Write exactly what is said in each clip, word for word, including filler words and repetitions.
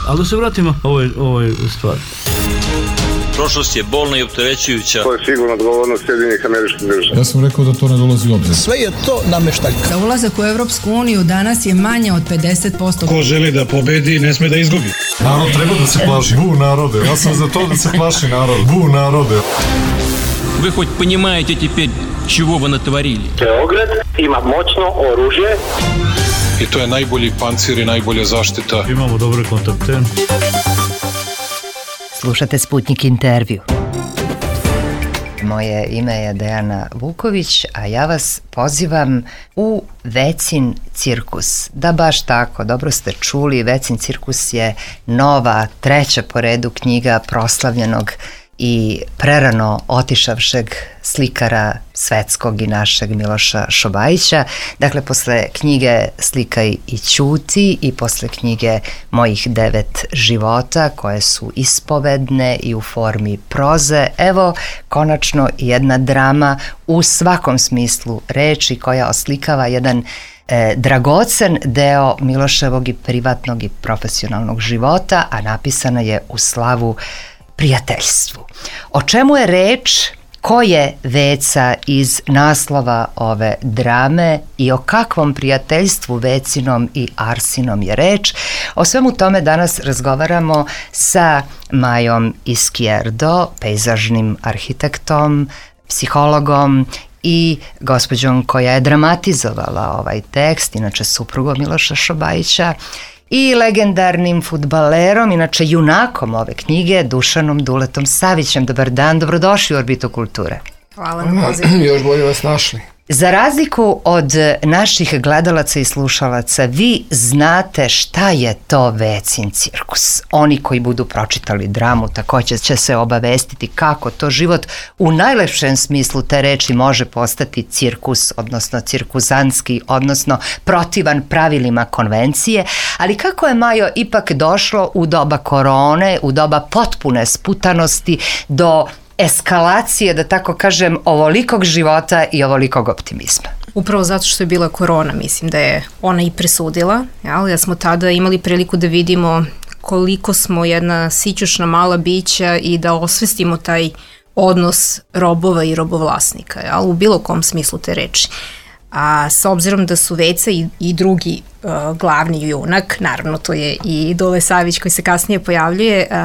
Ali da se vratimo ovoj, ovoj stvari. Prošlost je bolna i opterećujuća. To je sigurno odgovornost Sjedinjenih Američkih Država. Ja sam rekao da to ne dolazi u obzir. Sve je to nameštaljka. Za ulazak u Evropsku uniju danas je manje od pedeset posto. Ko želi da pobedi, ne sme da izgubi. Narod treba da se plaši. Bu narode. Ja sam za to da se plaši narod. Bu narode. Вы хоть понимаете теперь, чего вы натворили? Beograd ima moćno oružje. I to je najbolji pancir i najbolja zaštita. Imamo dobre kontakte. Slušate Sputnik intervju. Moje ime je Dejana Vuković, a ja vas pozivam u Vecin cirkus. Da, baš tako, dobro ste čuli, Vecin cirkus je nova, treća po redu knjiga proslavljenog i prerano otišavšeg slikara svetskog i našeg Miloša Šobajića. Dakle, posle knjige Slikaj i ćuti i posle knjige Mojih devet života, koje su ispovedne i u formi proze, evo konačno jedna drama u svakom smislu reči koja oslikava jedan E, dragocen deo Miloševog i privatnog i profesionalnog života, a napisana je u slavu prijateljstvu. O čemu je reč, ko je Veca iz naslova ove drame i o kakvom prijateljstvu Vecinom i Arsinom je reč? O svemu tome danas razgovaramo sa Majom Izquierdo, pejzažnim arhitektom, psihologom i gospođom koja je dramatizovala ovaj tekst, inače suprugom Miloša Šobajića, i legendarnim fudbalerom, inače junakom ove knjige, Dušanom Duletom Savićem. Dobar dan, dobrodošli u Orbitu kulture. Hvala na pozivu. Još bolje vas našli. Za razliku od naših gledalaca i slušalaca, vi znate šta je to Vecin cirkus. Oni koji budu pročitali dramu također će se obavestiti kako to život u najlepšem smislu te reči može postati cirkus, odnosno cirkuzantski, odnosno protivan pravilima konvencije, ali kako je, Majo, ipak došlo u doba korone, u doba potpune sputanosti do eskalacije, da tako kažem, ovolikog života i ovolikog optimizma? Upravo zato što je bila korona, mislim da je ona i presudila, jel? Ja smo tada imali priliku da vidimo koliko smo jedna sićušna mala bića i da osvestimo taj odnos robova i robovlasnika, jel? U bilo kom smislu te reči. A s obzirom da su Veca i, i drugi uh, glavni junak, naravno to je i Dule Savić koji se kasnije pojavljuje, uh,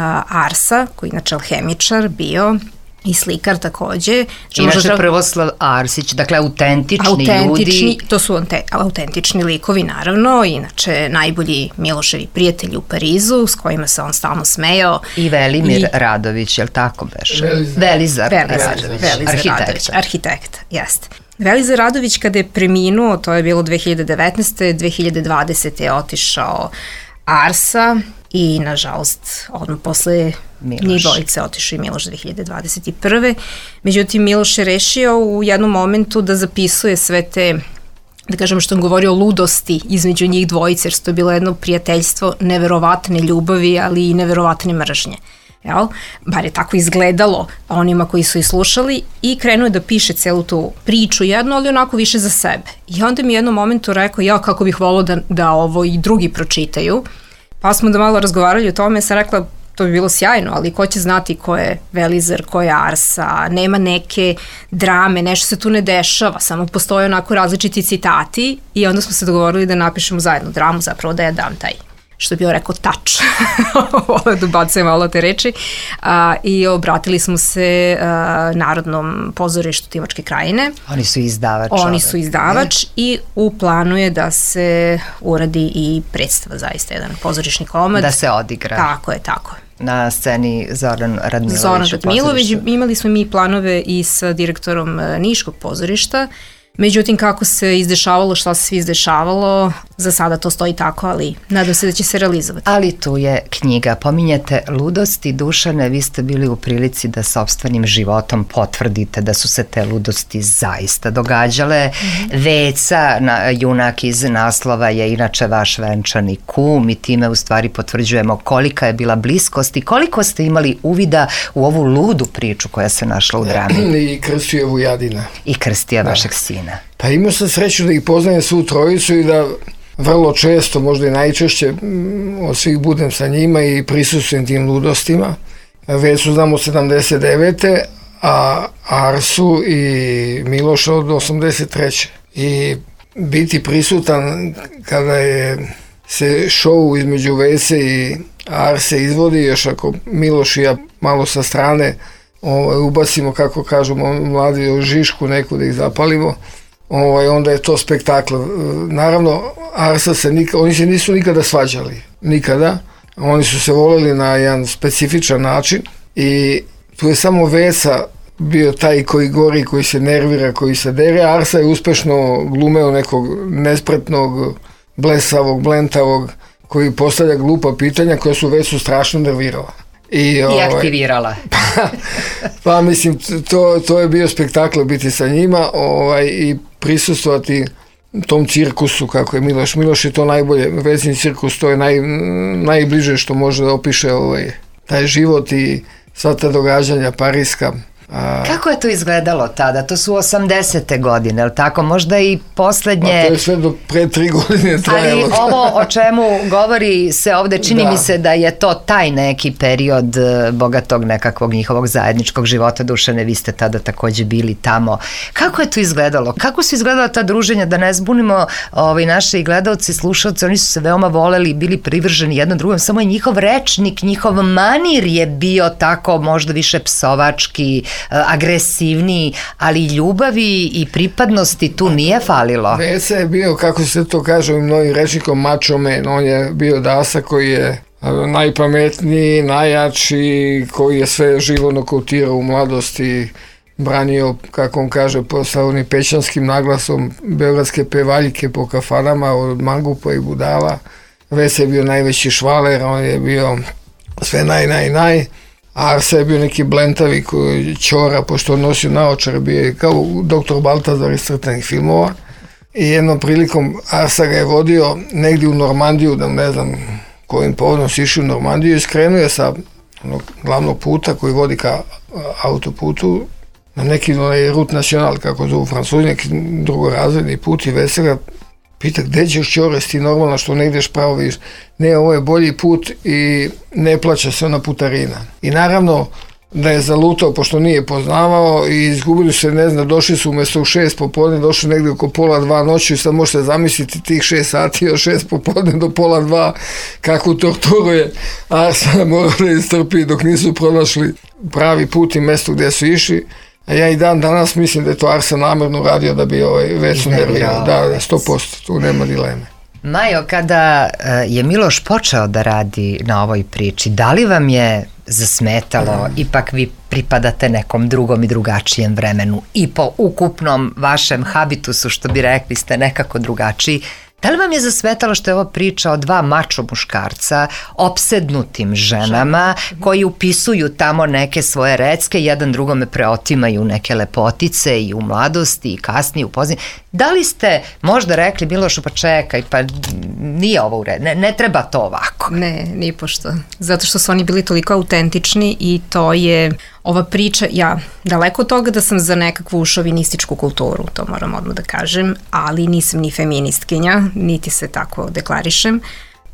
Arsa, koji je inače alhemičar bio, i slikar takođe. Inače možda... Prvoslav Arsić, dakle autentični, autentični ljudi. To su autentični likovi, naravno, inače najbolji Miloševi prijatelji u Parizu, s kojima se on stalno smejao. I Velimir I... Radović, je li tako beše? Velizar. Velizar, Velizar, Radović, Velizar arhitekta. Radović, arhitekta, jeste. Velizar Radović kada je preminuo, to je bilo dve hiljade devetnaeste. dve hiljade dvadesete. je otišao Arsa i nažalost odmah posle njih dvojice otišao i Miloš dve hiljade dvadeset prve. Međutim, Miloš je rešio u jednom momentu da zapisuje sve te, da kažem što on govorio, ludosti između njih dvojice, jer to je bilo jedno prijateljstvo neverovatne ljubavi, ali i neverovatne mržnje. Jel? Bar je tako izgledalo onima koji su i slušali, i krenuo je da piše celu tu priču jednu, ali onako više za sebe. I onda mi u jednom momentu rekao, ja kako bih volao da, da ovo i drugi pročitaju. Pa smo da malo razgovarali o tome, ja sam rekla, to bi bilo sjajno, ali ko će znati ko je Velizar, ko je Arsa, nema neke drame, nešto se tu ne dešava, samo postoje onako različiti citati, i onda smo se dogovorili da napišemo zajedno dramu, zapravo da ja dam taj, što bi joj rekao, tač. Ovo da bacuje malo te reči. A, I obratili smo se a, Narodnom pozorištu Timočke krajine. Oni su izdavač. Oni su izdavač ne? I u planu je da se uradi i predstava, zaista jedan pozorišni komad. Da se odigra. Tako je, tako je. Na sceni Zoran Radmilović. Zoran Radmilović. Imali smo mi planove i sa direktorom Niškog pozorišta. Međutim, kako se izdešavalo, šta se svi izdešavalo, za sada to stoji tako, ali nadam se da će se realizovati. Ali tu je knjiga. Pominjate ludosti, Dušane, vi ste bili u prilici da sopstvenim životom potvrdite da su se te ludosti zaista događale. Mm-hmm. Veca, na, junak iz naslova, je inače vaš venčani kum, i time u stvari potvrđujemo kolika je bila bliskost i koliko ste imali uvida u ovu ludu priču koja se našla u drami. I Krstija Vujadina. I Krstija, vašeg sina. Pa imao sam sreću da ih poznajem svu trojicu i da vrlo često, možda i najčešće od svih budem sa njima i prisustvujem tim ludostima. Vecu znam od sedamdeset devete a Arsu i Miloša od osamdeset treće I biti prisutan kada je se show između Vese i Arse izvodi, još ako Miloš i ja malo sa strane ovaj, ubacimo, kako kažu mladi, žišku neku da ih zapalimo, ovaj, onda je to spektakl. Naravno, Arsa se nikada, oni se nisu nikada svađali, nikada. Oni su se voleli na jedan specifičan način i tu je samo Vesa bio taj koji gori, koji se nervira, koji se dere. Arsa je uspešno glumeo nekog nespretnog, blesavog, blentavog, koji postavlja glupa pitanja koja su Vesu strašno nervirala. I, I ovaj, aktivirala. Pa, pa mislim, to, to je bio spektakl biti sa njima ovaj, i prisustvovati tom cirkusu, kako je Miloš. Miloš je to najbolje, Vesin cirkus, to je naj, najbliže što može da opiše ovaj, taj život i sva ta događanja pariska. A... Kako je to izgledalo tada? To su osamdesete godine, ali tako? Možda i poslednje... Pa to je sve do pre tri godine trajalo. Ali ovo o čemu govori se ovde, čini da. mi se da je to taj neki period bogatog nekakvog njihovog zajedničkog života. Dušane, vi ste tada takođe bili tamo. Kako je to izgledalo? Kako su izgledala ta druženja? Da ne zbunimo ovaj, naše i gledalci, slušalci, oni su se veoma voleli i bili privrženi jednom drugom, samo je njihov rečnik, njihov manir je bio tako možda više psovački, agresivniji, ali ljubavi i pripadnosti tu nije falilo. Vesa je bio, kako se to kaže u mnogim rečnikom, macho man. On je bio dasa koji je najpametniji, najjači, koji je sve živo nokautirao u mladosti, branio, kako on kaže, sa onim pećanskim naglasom beogradske pevaljike po kafanama od mangupa i budala. Vesa je bio najveći švaler, on je bio sve naj, naj, naj. Arsa je bio neki blentavi koji ćora, pošto on nosio naočar, bio je kao doktor Baltazar iz crtanih filmova. I jednom prilikom Arsa ga je vodio negdje u Normandiju, da ne znam kojim povodom si išao u Normandiju, i skrenuo je sa onog glavnog puta koji vodi ka autoputu na neki Route National, kako zovu Francuzi, neki drugorazredni put, i Vesela pita, gde ćeš ćore, ti normalno što ne ideš pravo, vidiš, ne, ovo je bolji put i ne plaća se ona putarina. I naravno da je zalutao, pošto nije poznavao, i izgubili se, ne znam, došli su umjesto u šest popodne, došli negdje oko pola dva noći, i sad možete zamisliti tih šest sati od šest popodne do pola dva, kakvu torturu je Arsa morao da istrpi dok nisu pronašli pravi put i mesto gdje su išli. A ja i dan danas mislim da je to Arsa namerno radio da bi ovaj Vesu nervirao. Da, sto posto, tu nema dileme. Majo, kada je Miloš počeo da radi na ovoj priči, da li vam je zasmetalo, mm. ipak vi pripadate nekom drugom i drugačijem vremenu i po ukupnom vašem habitusu, što bi rekli, ste nekako drugačiji, da li vam je zasmetalo što je ovo priča o dva mačo muškarca, opsednutim ženama, koji upisuju tamo neke svoje recke, jedan drugome preotimaju neke lepotice i u mladosti i kasnije u pozadini? Da li ste možda rekli Milošu, pa čekaj, pa nije ovo u redu, ne, ne treba to ovako? Ne, ni pošto. Zato što su oni bili toliko autentični i to je ova priča, ja daleko od toga da sam za nekakvu šovinističku kulturu, to moram odmah da kažem, ali nisam ni feministkinja, niti se tako deklarišem.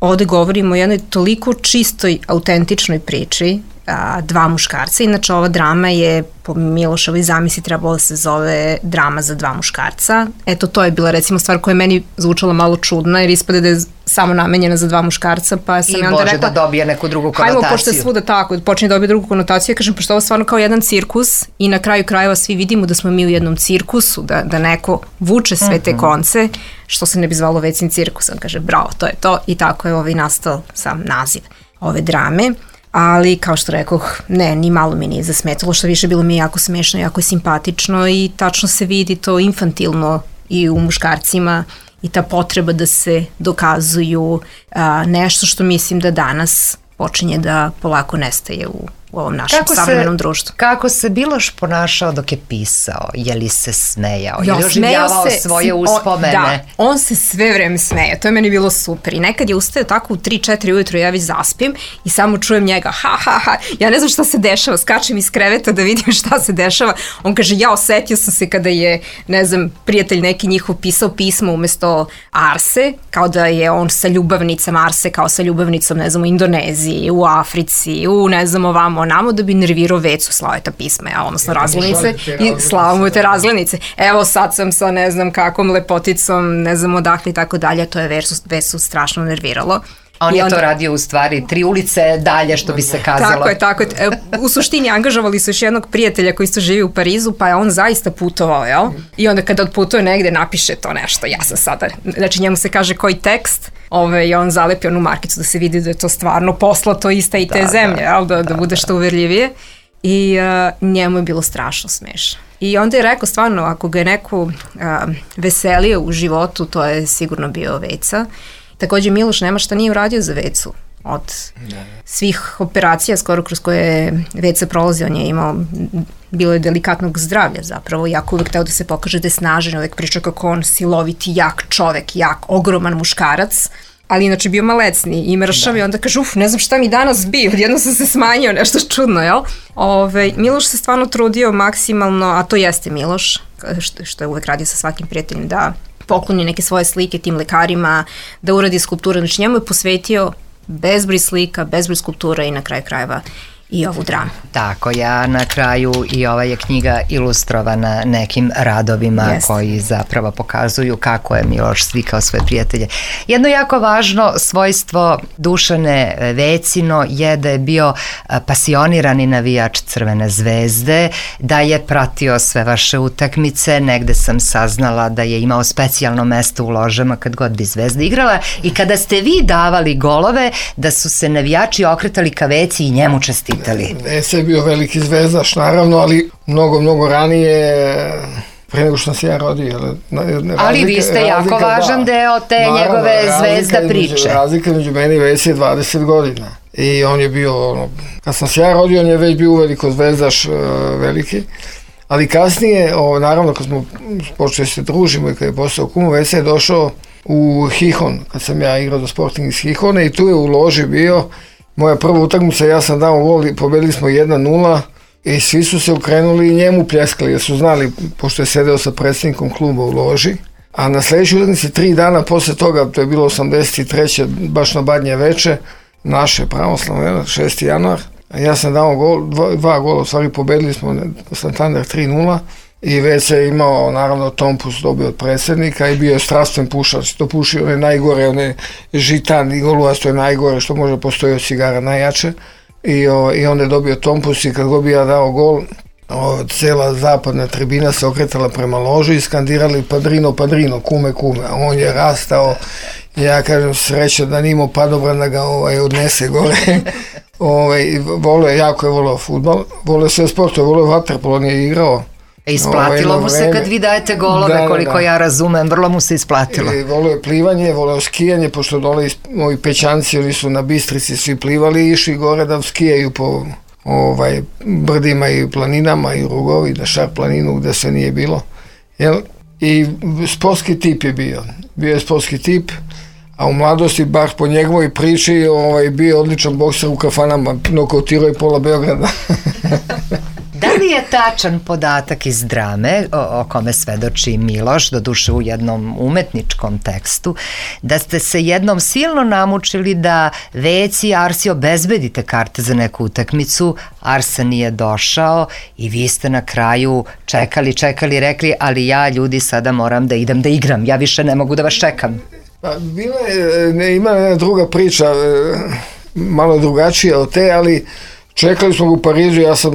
Ovde govorimo o jednoj toliko čistoj, autentičnoj priči, a, dva muškarca. Inače, ova drama je po Milošovoj zamisli trebalo da se zove drama za dva muškarca. Eto, to je bila recimo stvar koja je meni zvučala malo čudna, jer ispade da je samo namenjena za dva muškarca, pa sam I onda može rekla, da dobije neku drugu konotaciju. Hajmo, pošto je svuda tako, počne da dobije drugu konotaciju, ja kažem, pošto ovo je stvarno kao jedan cirkus i na kraju krajeva svi vidimo da smo mi u jednom cirkusu, da, da neko vuče sve te konce, što se ne bi zvalo Vecin cirkus. On kaže, bravo, to je to, i tako je ovaj nastao sam naziv ove drame. Ali, kao što rekoh, ne, ni malo mi nije zasmetalo, što više bilo mi je jako smešno, jako simpatično i tačno se vidi to infantilno i u muškarcima i ta potreba da se dokazuju a, nešto što mislim da danas počinje da polako nestaje u u ovom našem Kako savremenom se, društvu. Kako se Miloš ponašao dok je pisao? Je li se smejao? Jo, je li oživljavao se, svoje o, uspomene? Da, on se sve vreme smeje, to je meni bilo super. I nekad je ustao tako u tri četiri ujutru, ja već zaspim i samo čujem njega, ha, ha, ha, ja ne znam šta se dešava, skačem iz kreveta da vidim šta se dešava. On kaže, ja osetio sam se kada je, ne znam, prijatelj neki njihov pisao pismo umesto Arse, kao da je on sa ljubavnicama Arse, kao sa ljubavnicom, ne znam, u Indoneziji, u Africi, u, ne znam, ovamo, onamo, da bi nervirao Vecu, slao je ta pisma, ja, odnosno razglednice, i slao mu te razglednice. Evo sad sam sa ne znam kakvom lepoticom, ne znam odakle i tako dalje, to je Vecu, Vecu strašno nerviralo. On I je onda, to radio u stvari tri ulice dalje, što bi se kazalo. Tako je, tako je. U suštini angažovali su još jednog prijatelja koji isto živi u Parizu, pa je on zaista putovao, jel? I onda kada odputuje negde, napiše to nešto. Ja sam sada, znači njemu se kaže koji tekst, ove, i on zalepi onu markicu da se vidi da je to stvarno poslato iste i te da, zemlje, da, jel? Da, da, da bude da. što uverljivije. I uh, njemu je bilo strašno smešno. I onda je rekao stvarno, ako ga je neko uh, veselio u životu, to je sigurno bio Veca. Takođe Miloš nema šta nije uradio za Vecu. Od svih operacija skoro kroz koje Veca prolazi, on je imao, bilo je delikatnog zdravlja zapravo, jako uvek teo da se pokaže da je snažan, uvek priča kako on siloviti, jak čovek, jak, ogroman muškarac, ali inače bio malecni i mršav da. I onda kaže, uf, ne znam šta mi danas bio, odjedno sam se smanjio, nešto čudno, jel? Ove, Miloš se stvarno trudio maksimalno, a to jeste Miloš, što, što je uvek radio sa svakim prijateljem, da pokloni neke svoje slike tim lekarima, da uradi skulpture, znači njemu je posvetio bezbroj slika, bezbroj skulptura i na kraju krajeva i ovu dramu. Tako, ja na kraju i ova je knjiga ilustrovana nekim radovima yes. koji zapravo pokazuju kako je Miloš slikao svoje prijatelje. Jedno jako važno svojstvo Dušane Vecino je da je bio pasionirani navijač Crvene zvezde, da je pratio sve vaše utakmice, negde sam saznala da je imao specijalno mesto u ložama kad god bi Zvezda igrala i kada ste vi davali golove, da su se navijači okretali ka Veci i njemu čestitali. Veca je bio veliki zvezdaš, naravno, ali mnogo, mnogo ranije, pre nego što sam se ja rodio. Razlika, ali vi ste jako razlika, važan da, deo te naravno, njegove zvezda priče. Među, razlika među meni i Veci je dvadeset godina. I on je bio, ono, kad sam se ja rodio, on je već bio uveliko zvezdaš uh, veliki. Ali kasnije, o, naravno, kad smo počeli se družimo i kad je postao kum, Veca je došao u Hihon, kad sam ja igrao do Sporting iz Hihona i tu je u loži bio moja prva utakmica, ja sam dao gol i pobedili smo jedna nula i svi su se okrenuli i njemu pljeskali jer su znali, pošto je sedeo sa predsjednikom kluba u loži. A na sljedećoj utakmici tri dana posle toga, to je bilo osamdeset treće baš na Badnje veče, naše pravoslavno, šesti januar, ja sam dao gol, dva, dva gola, u stvari pobedili smo Santander tri nula i već je imao, naravno, tompus dobio od predsjednika i bio je strastven pušač, to pušio one najgore, one žitan i goluas, to je najgore što može postoji od cigara, najjače. I, o, i onda je dobio tompus i kad god bi ja dao gol, o, cela zapadna tribina se okretala prema loži i skandirali padrino, padrino, kume, kume, a on je rastao, ja kažem sreća da nimo padobran da ga ovaj, odnese gore. ovaj, volio je, jako je volio futbol, volio sve sportove, volio vaterpolo, on je igrao. E, isplatilo ovaj, mu se kad vi dajete golove, da, koliko da. ja razumem, vrlo mu se isplatilo. E, volio je plivanje, volio je skijanje, pošto dole moji Pećanci, oni su na Bistrici svi plivali i išli gore da skijaju po ovaj, brdima i planinama i rugovi, da šar planinu gde se nije bilo. Jel? I sportski tip je bio, bio je sportski tip, a u mladosti, bar po njegovoj priči, ovaj, bio odličan bokser u kafanama, nokautirao je pola Beograda. Da li je tačan podatak iz drame o, o kome svedoči Miloš, doduše u jednom umetničkom tekstu, da ste se jednom silno namučili da Veci i Arsi obezbedite karte za neku utakmicu, Arsa nije došao i vi ste na kraju čekali, čekali, rekli, ali ja, ljudi, sada moram da idem da igram, ja više ne mogu da vas čekam. Pa, bila je, ne, ima jedna druga priča, malo drugačija od te, ali čekali smo ga u Parizu, ja sam,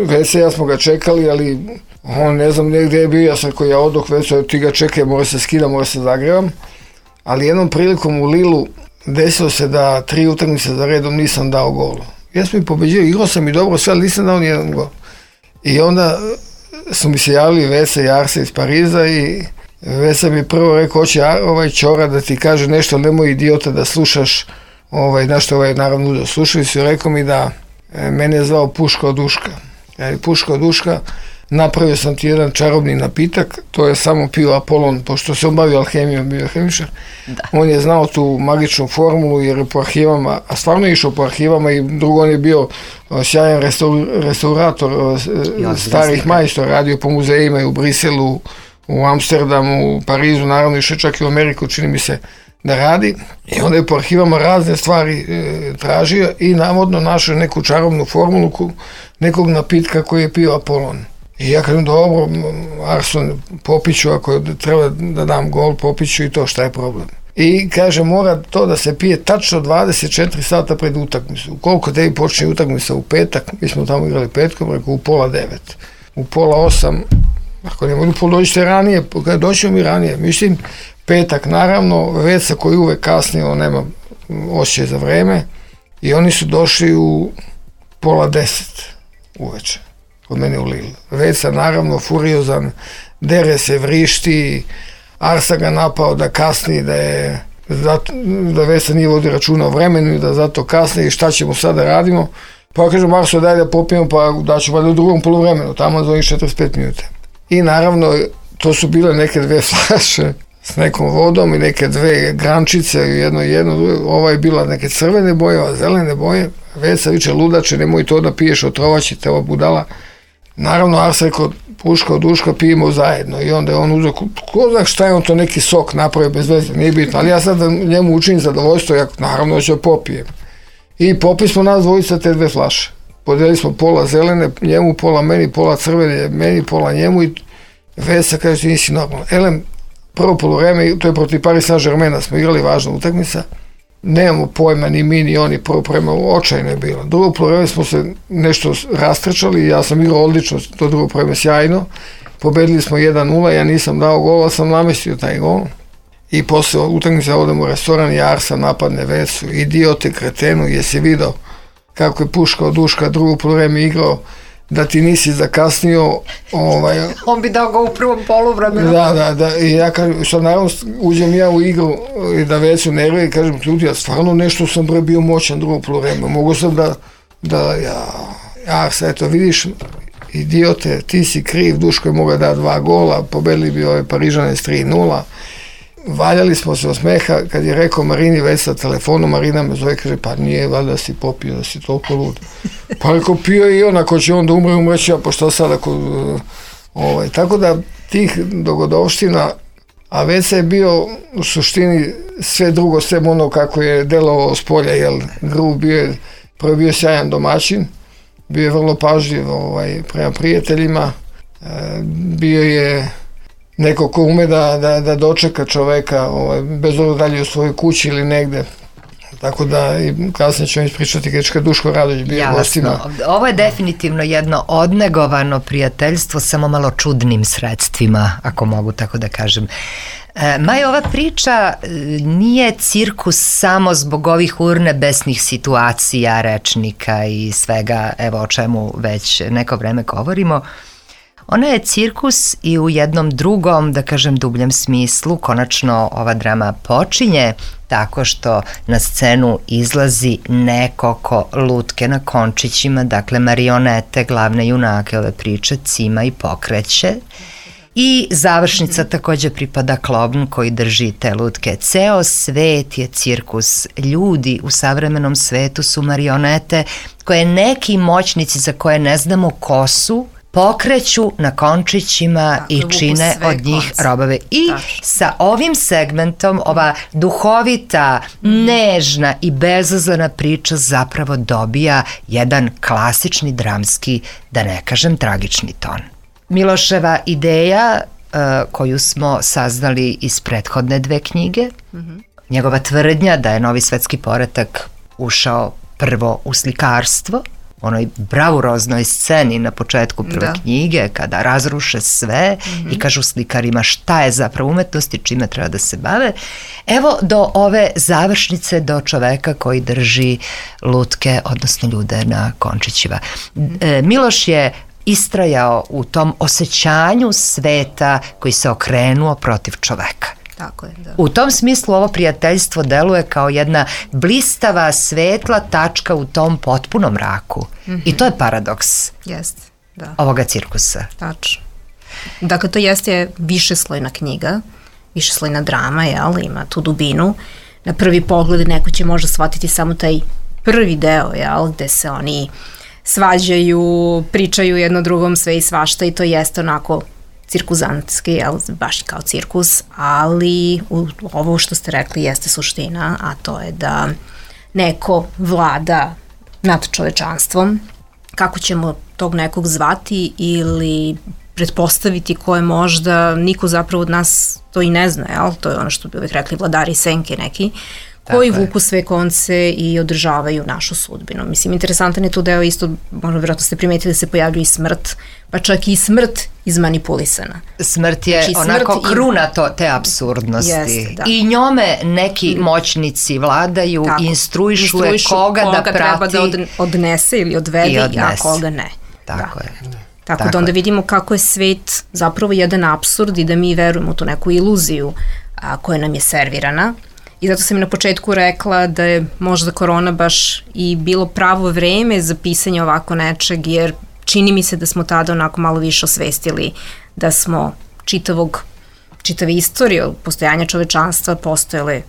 Veca, ja smo ga čekali, ali on ne znam gdje je bio, ja sam koji ja odoh, Veca, ti ga čekaj, mora se skida, mora se zagrevam, ali jednom prilikom u Lilu desilo se da tri utakmice za redom nisam dao gol. Ja sam i pobeđio, igrao sam i dobro sve, ali nisam dao nijedan gol. I onda su mi se javili Veca i Arsa iz Pariza i Veca mi prvo rekao, hoće ovaj Ćora da ti kaže nešto, nemoj idiota da slušaš, ovaj, znaš što ovaj naravno da slušali su i rekao mi da e, mene je zvao Puška od Uška. E, Puška od Uška, napravio sam ti jedan čarobni napitak, to je samo pio Apolon, pošto se on bavio alhemijom, bio hemičar. Da. On je znao tu magičnu formulu jer je po arhivama, a stvarno je išao po arhivama i drugo on je bio sjajan restaur, restaurator starih majstora, radio po muzejima i u Briselu, u Amsterdamu, u Parizu, naravno išao čak i u Ameriku, čini mi se da radi. I onda je po arhivama razne stvari e, tražio i navodno našao neku čarobnu formulu nekog napitka koji je pio Apolon. I ja kažem, dobro, Arson, popiću, ako treba da dam gol, popiću i to, šta je problem? I kaže, mora to da se pije tačno dvadeset četiri sata pred utakmicu. Koliko tebi počne utakmica u petak, mi smo tamo igrali petkom, rekao, u pola devet. U pola osam, ako ne mogu dođite ranije, doćemo mi ranije. Mislim, petak, naravno, Veca koji uvek kasnije, on nema osjećaj za vreme, i oni su došli u pola deset uveče. Kod mene u Lille. Veca naravno furiozan, dere se, vrišti, Arsa ga napao da kasni, da je zato, da Veca nije vodi računa o vremenu i da zato kasni i šta ćemo sada radimo. Pa kažem, Arso, daj da popijemo, pa da ću valjda u drugom poluvremenu, tamo za onih četrdeset pet minuta. I naravno, to su bile neke dve flaše s nekom vodom i neke dve grančice, jedno i jedno, ova je bila neke crvene boje, ova zelene boje. Veca viče, ludače, nemoj to da piješ, otrovaće te ova budala. Naravno, Ars rekao, Puška od Uška, pijemo zajedno. I onda je on uzeo, ko zna šta je on to neki sok napravio bez veze, nije bitno. Ali ja sad njemu učinim zadovoljstvo, ja naravno ću popijem. I popili smo nas dvojica te dve flaše. Podelili smo pola zelene, njemu pola meni, pola crvene, meni pola njemu i Veca kaže, ti nisi normalno. Elem, prvo poluvreme, to je protiv Paris Saint-Germaina, smo igrali važna utakmica. Nemamo pojma, ni mi, ni oni, prvo poluvreme, očajno je bilo. Drugo poluvreme smo se nešto rastrčali, ja sam igrao odlično, to drugo poluvreme sjajno. Pobedili smo jedan nula, ja nisam dao gol, ali sam namestio taj gol. I posle utakmice odemo u restoran i Arsa napadne Vecu, idiote, kretenu, jesi video kako je Puška od Uška drugo poluvreme igrao, da ti nisi zakasnio. Ovaj, on bi dao ga u prvom poluvremenu. Da, da, da, i ja kažem, što naravno uđem ja u igru i da Vecu nervira i kažem, ljudi, ja stvarno nešto sam bre bio moćan drugo poluvreme, mogu sam da, da, ja, ja, sad eto, vidiš, idiote, ti si kriv, Duško je mogao da dva gola, pobedili bi ove Parižane s tri nula, valjali smo se od smeha, kad je rekao Marini već sa telefonu, Marina me zove, kaže, pa nije, valjda si popio, da si toliko lud. Pa rekao, pio i on, ako će on da umre, umreći, a pa šta sad, ako, ovaj, tako da tih dogodovština, a Veca je bio u suštini sve drugo, sve ono kako je delovao s polja, jel, grub bio je, prvo bio sjajan domaćin, bio je vrlo pažljiv ovaj, prema prijateljima, e, bio je neko ko ume da, da, da dočeka čoveka, ovaj, bez obzira dalje u svojoj kući ili negde. Tako da i kasnije ćemo ispričati kad Duško Radović bio gostima. Ovo je definitivno jedno odnegovano prijateljstvo, samo malo čudnim sredstvima, ako mogu tako da kažem. E, Maj, ova priča nije cirkus samo zbog ovih urnebesnih situacija, rečnika i svega, evo o čemu već neko vreme govorimo. Ona je cirkus i u jednom drugom, da kažem, dubljem smislu. Konačno ova drama počinje tako što na scenu izlazi neko ko lutke na končićima, dakle marionete, glavne junake ove priče, cima i pokreće. I završnica takođe pripada klovn koji drži te lutke. Ceo svet je cirkus. Ljudi u savremenom svetu su marionete koje neki moćnici za koje ne znamo ko su, pokreću na končićima da, i čine od njih konce. Robove. I da. Sa ovim segmentom ova duhovita, mm. nežna i bezazlena priča zapravo dobija jedan klasični dramski, da ne kažem tragični ton. Miloševa ideja uh, koju smo saznali iz prethodne dve knjige, mm-hmm. njegova tvrdnja da je novi svetski poredak ušao prvo u slikarstvo, onoj bravuroznoj sceni na početku prve da. knjige, kada razruše sve mm-hmm. i kažu slikarima šta je zapravo umetnost i čime treba da se bave, evo do ove završnice, do čoveka koji drži lutke, odnosno ljude na končićima. Mm-hmm. E, Miloš je istrajao u tom osjećanju sveta koji se okrenuo protiv čoveka. Tako je, da. U tom smislu ovo prijateljstvo deluje kao jedna blistava, svetla tačka u tom potpunom mraku. Mm-hmm. I to je paradoks Jeste, da. ovoga cirkusa. Tačno. Dakle, to jeste višeslojna knjiga, višeslojna drama, jel, ima tu dubinu. Na prvi pogled neko će možda shvatiti samo taj prvi deo, jel, gde se oni svađaju, pričaju jedno drugom sve i svašta i to jeste onako cirkuzantski, jel, baš kao cirkus, ali u, ovo što ste rekli jeste suština, a to je da neko vlada nad čovečanstvom, kako ćemo tog nekog zvati ili pretpostaviti ko je možda, niko zapravo od nas to i ne zna, jel? To je ono što bi uvijek rekli vladari senke neki, koji vuku sve konce i održavaju našu sudbinu. Mislim, interesantan je tu deo isto, možda vjerojatno ste primetili da se pojavljuje i smrt, pa čak i smrt izmanipulisana. Smrt je znači, onako smrt kruna to, te apsurdnosti. Jeste, da. I njome neki moćnici vladaju, tako, instruišu, instruišu koga, koga da prati. Koga treba da odnese ili odvede, odnese. A koga ne. Tako da. je. Tako, tako da onda vidimo kako je svet zapravo jedan apsurd i da mi verujemo u tu neku iluziju a, koja nam je servirana. I zato sam na početku rekla da je možda korona baš i bilo pravo vreme za pisanje ovako nečeg, jer čini mi se da smo tada onako malo više osvestili da smo čitavog, čitave istorije od postojanja čovečanstva postojale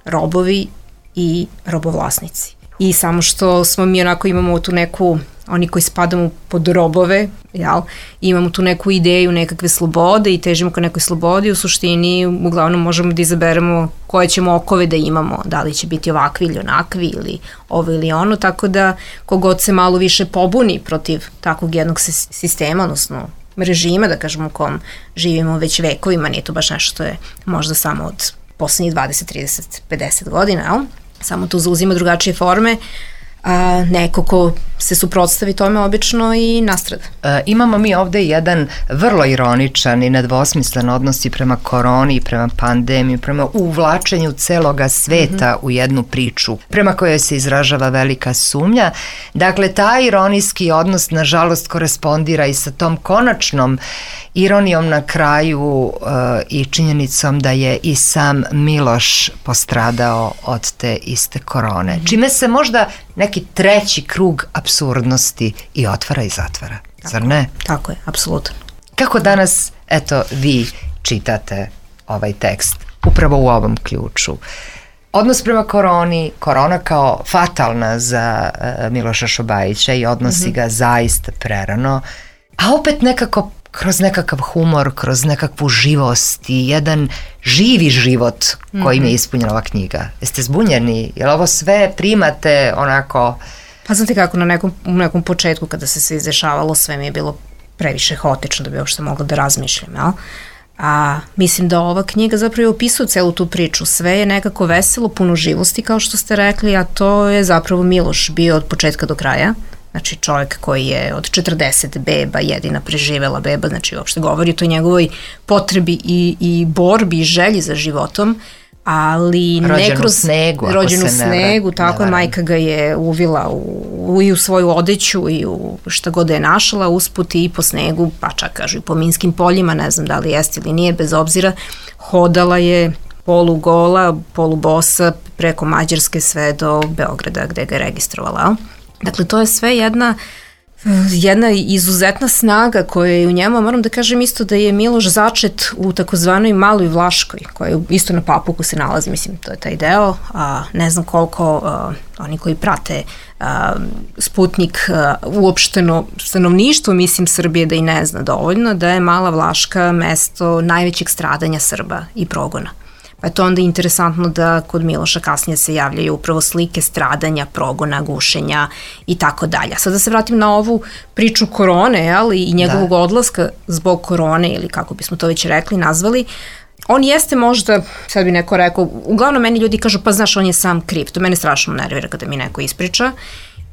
robovi i robovlasnici. I samo što smo mi onako imamo tu neku, oni koji spadamo pod robove, jel, imamo tu neku ideju nekakve slobode i težimo ka nekoj slobodi, u suštini uglavnom možemo da izaberemo koje ćemo okove da imamo, da li će biti ovakvi ili onakvi ili ovo ili ono, tako da kogod se malo više pobuni protiv takvog jednog sistema, odnosno režima, da kažemo u kom živimo već vekovima, nije to baš nešto što je možda samo od poslednjih dvadeset, trideset, pedeset godina, jel? Samo to zauzima drugačije forme, a neko ko se suprotstavi tome obično i nastrada. E, imamo mi ovde jedan vrlo ironičan i nedvosmislen odnos i prema koroni, i prema pandemiji, prema uvlačenju celoga sveta mm-hmm. u jednu priču, prema kojoj se izražava velika sumnja. Dakle, taj ironijski odnos, nažalost, korespondira i sa tom konačnom ironijom na kraju uh, i činjenicom da je i sam Miloš postradao od te iste korone. Mm-hmm. Čime se možda neki treći krug apsurdnosti i otvara i zatvara. Tako, zar ne? Tako je, apsolutno. Kako danas, eto, vi čitate ovaj tekst upravo u ovom ključu? Odnos prema koroni, korona kao fatalna za uh, Miloša Šobajića i odnosi mm-hmm. ga zaista prerano, a opet nekako kroz nekakav humor, kroz nekakvu živost i jedan živi život kojim mm-hmm. je ispunjena ova knjiga. Jeste zbunjeni? Jel ovo sve primate onako? Pa znate kako, na nekom, u nekom početku kada se sve izdešavalo, sve mi je bilo previše haotično da bi uopšte mogla da razmišljam, jel? A mislim da ova knjiga zapravo opisuje celu tu priču. Sve je nekako veselo, puno živosti kao što ste rekli, a to je zapravo Miloš bio od početka do kraja. Znači čovjek koji je od četrdeset beba jedina preživela beba, znači uopšte govori o toj njegovoj potrebi i, i borbi i želji za životom, ali rođen ne kroz u snegu, rođen u snegu, ne tako je, majka ga je uvila u, u, i u svoju odeću i u šta god je našla usput i po snegu, pa čak kažu i po minskim poljima, ne znam da li jeste ili nije, bez obzira, hodala je polugola, polubosa preko Mađarske sve do Beograda gde ga je registrovala. Dakle, to je sve jedna, jedna izuzetna snaga koja je u njemu. Moram da kažem isto da je Miloš začet u takozvanoj Maloj Vlaškoj, koja je isto na Papuku se nalazi, mislim, to je taj deo. A, ne znam koliko a, oni koji prate a, Sputnik a, uopšteno stanovništvo, mislim, Srbije da i ne zna dovoljno, da je Mala Vlaška mesto najvećeg stradanja Srba i progona. Pa je to onda interesantno da kod Miloša kasnije se javljaju upravo slike stradanja, progona, gušenja i tako dalje. Sad da se vratim na ovu priču korone, jel, i njegovog da. odlaska zbog korone, ili kako bismo to već rekli, nazvali, on jeste možda, sad bi neko rekao, uglavnom meni ljudi kažu, pa znaš, on je sam kriv. To mene strašno nervira kada mi neko ispriča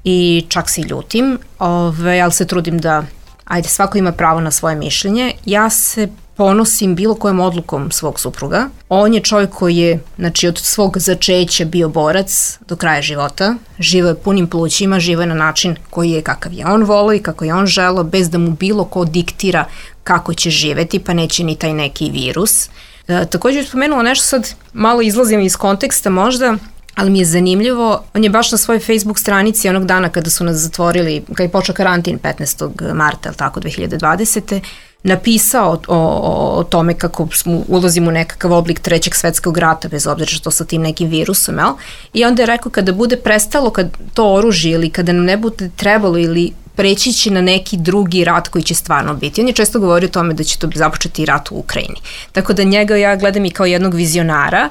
i čak se i ljutim, ove, ali se trudim da, ajde, svako ima pravo na svoje mišljenje. Ja se ponosim bilo kojom odlukom svog supruga. On je čovjek koji je, znači, od svog začeća bio borac do kraja života. Živo je punim plućima, živo je na način koji je kakav je on volio i kako je on želeo, bez da mu bilo ko diktira kako će živeti, pa neće ni taj neki virus. E, također je spomenula nešto, sad malo izlazim iz konteksta možda, ali mi je zanimljivo, on je baš na svojoj Facebook stranici onog dana kada su nas zatvorili, kada je počeo karantin petnaestog marta, ili tako, dve hiljade dvadesete napisao o, o, o tome kako smo, ulazimo u nekakav oblik trećeg svetskog rata, bez obzira što sa tim nekim virusom, jel? I onda je rekao kada bude prestalo kad to oružje ili kada nam ne bude trebalo ili preći će na neki drugi rat koji će stvarno biti. On je često govorio o tome da će to započeti rat u Ukrajini. Tako da njega ja gledam i kao jednog vizionara,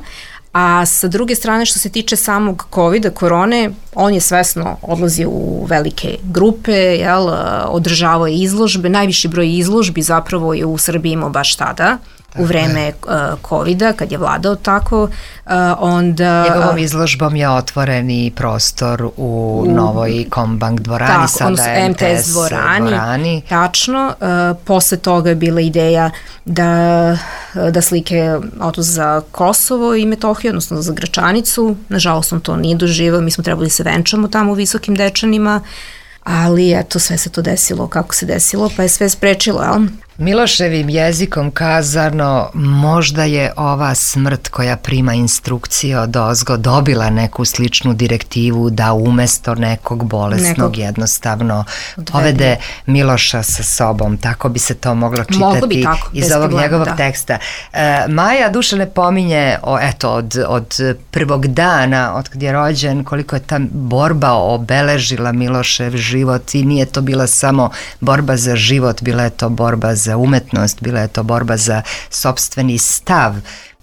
a sa druge strane što se tiče samog covida, korone, on je svesno odlazio u velike grupe, jel, održavao je izložbe, najviši broj izložbi zapravo je u Srbiji imao baš tada, u vreme uh, covida, kad je vladao tako, uh, onda... Njegovom izložbom je otvoren i prostor u, u novoj Kombank dvorani, tako, sada M T S dvorani, dvorani. Tačno, uh, posle toga je bila ideja da, da slike odu za Kosovo i Metohiju, odnosno za Gračanicu, nažalost on to nije doživao, mi smo trebali se venčamo tamo u Visokim Dečanima, ali eto, sve se to desilo kako se desilo, pa je sve sprečilo, jel? Miloševim jezikom kazano, možda je ova smrt koja prima instrukcije od ozgo dobila neku sličnu direktivu da umesto nekog bolesnog nekog jednostavno odvede Miloša sa sobom. Tako bi se to moglo čitati bi tako, iz ovog problema, njegovog da. teksta. E, Maja Dušane pominje o, eto, od, od prvog dana, od kad je rođen, koliko je ta borba obeležila Milošev život i nije to bila samo borba za život, bila je to borba za za umetnost, bila je to borba za sopstveni stav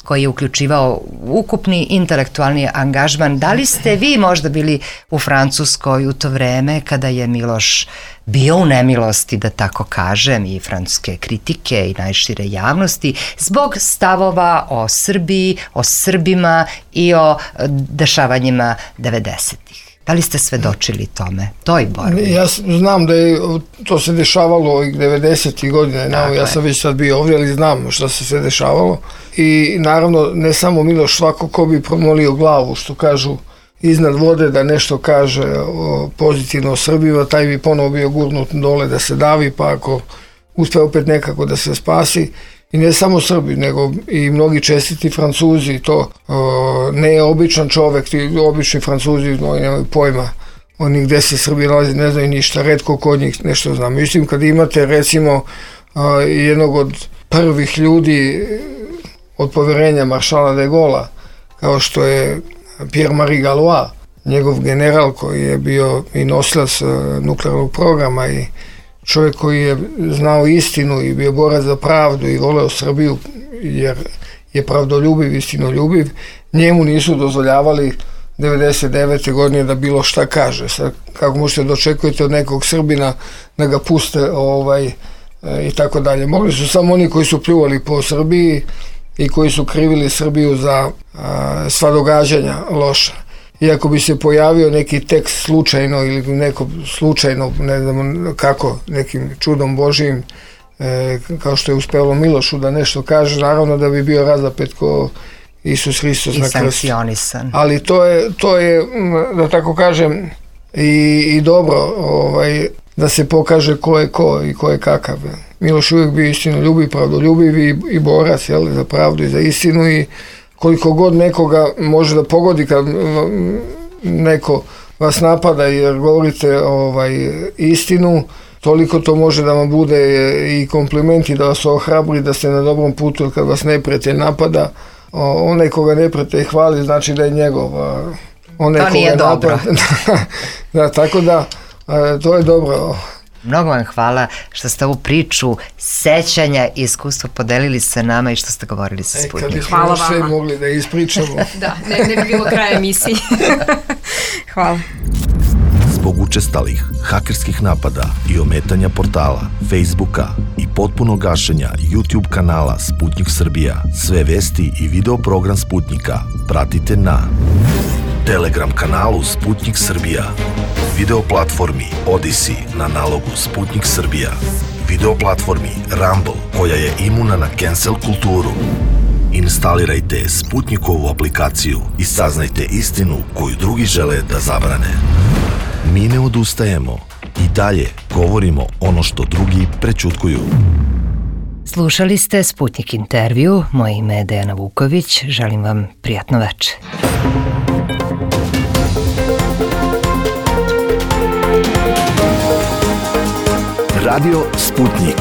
koji je uključivao ukupni intelektualni angažman. Da li ste vi možda bili u Francuskoj u to vreme kada je Miloš bio u nemilosti, da tako kažem, i francuske kritike i najšire javnosti zbog stavova o Srbiji, o Srbima i o dešavanjima devedesetih? Da li ste svedočili tome, toj borbi? Ja znam da je to se dešavalo ovih devedesetih godina, dakle. Ja sam već sad bio ovdje, ali znam šta se sve dešavalo. I naravno, ne samo Miloš, svako ko bi promolio glavu, što kažu, iznad vode, da nešto kaže o, pozitivno o Srbima, taj bi ponovo bio gurnut dole da se davi, pa ako uspe opet nekako da se spasi. I ne samo Srbi, nego i mnogi čestiti Francuzi, to o, ne je običan čovek, ti obični Francuzi, oni nemaju pojma, oni gde se Srbi nalazi, ne znaju ništa, retko kod njih nešto znam. Mislim, kad imate recimo o, jednog od prvih ljudi od poverenja maršala de Gaulla, kao što je Pierre-Marie Gallois, njegov general koji je bio i nosilac nuklearnog programa i čovjek koji je znao istinu i bio borac za pravdu i voleo Srbiju jer je pravdoljubiv, istinoljubiv, njemu nisu dozvoljavali devedeset devete godine da bilo šta kaže. Sad, kako možete da očekujete od nekog Srbina da ga puste ovaj, i tako dalje. Mogli su samo oni koji su pljuvali po Srbiji i koji su krivili Srbiju za a, sva događanja loša. Iako bi se pojavio neki tekst slučajno ili neko slučajno, ne znam kako, nekim čudom Božijim, e, kao što je uspelo Milošu da nešto kaže, naravno da bi bio razapet ko Isus Hristos na krstu. Ali to je, to je, da tako kažem, i, i dobro ovaj, da se pokaže ko je ko i ko je kakav. Miloš uvijek bio istinoljubiv, pravdoljubiv i, i borac, jel, za pravdu i za istinu, i koliko god nekoga može da pogodi kad neko vas napada jer govorite ovaj, istinu, toliko to može da vam bude i komplimenti, da vas ohrabri da ste na dobrom putu, jer kad vas neprijatelj napada, onaj koga neprijatelj hvali znači da je njegov. Onaj to nije dobro. Da, tako da, to je dobro. Mnogo vam hvala što ste ovu priču sećanja i iskustva podelili sa nama i što ste govorili sa Sputnikom. E, kad bismo sve mogli da ispričamo. Da, ne, ne bi bilo kraja emisiji. Hvala. Zbog učestalih hakerskih napada i ometanja portala, Facebooka i potpunog gašenja YouTube kanala Sputnik Srbija, sve vesti i video program Sputnika pratite na Telegram kanalu Sputnik Srbija, video platformi Odyssey na nalogu Sputnik Srbija, video platformi Rumble koja je imuna na cancel kulturu. Instalirajte Sputnikovu aplikaciju i saznajte istinu koju drugi žele da zabrane. Mi ne odustajemo i dalje govorimo ono što drugi prećutkuju. Slušali ste Sputnik intervju, moje ime je Dejana Vuković, želim vam prijatno večer. Radio Sputnik.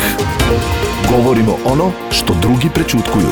Govorimo ono što drugi prećutkuju.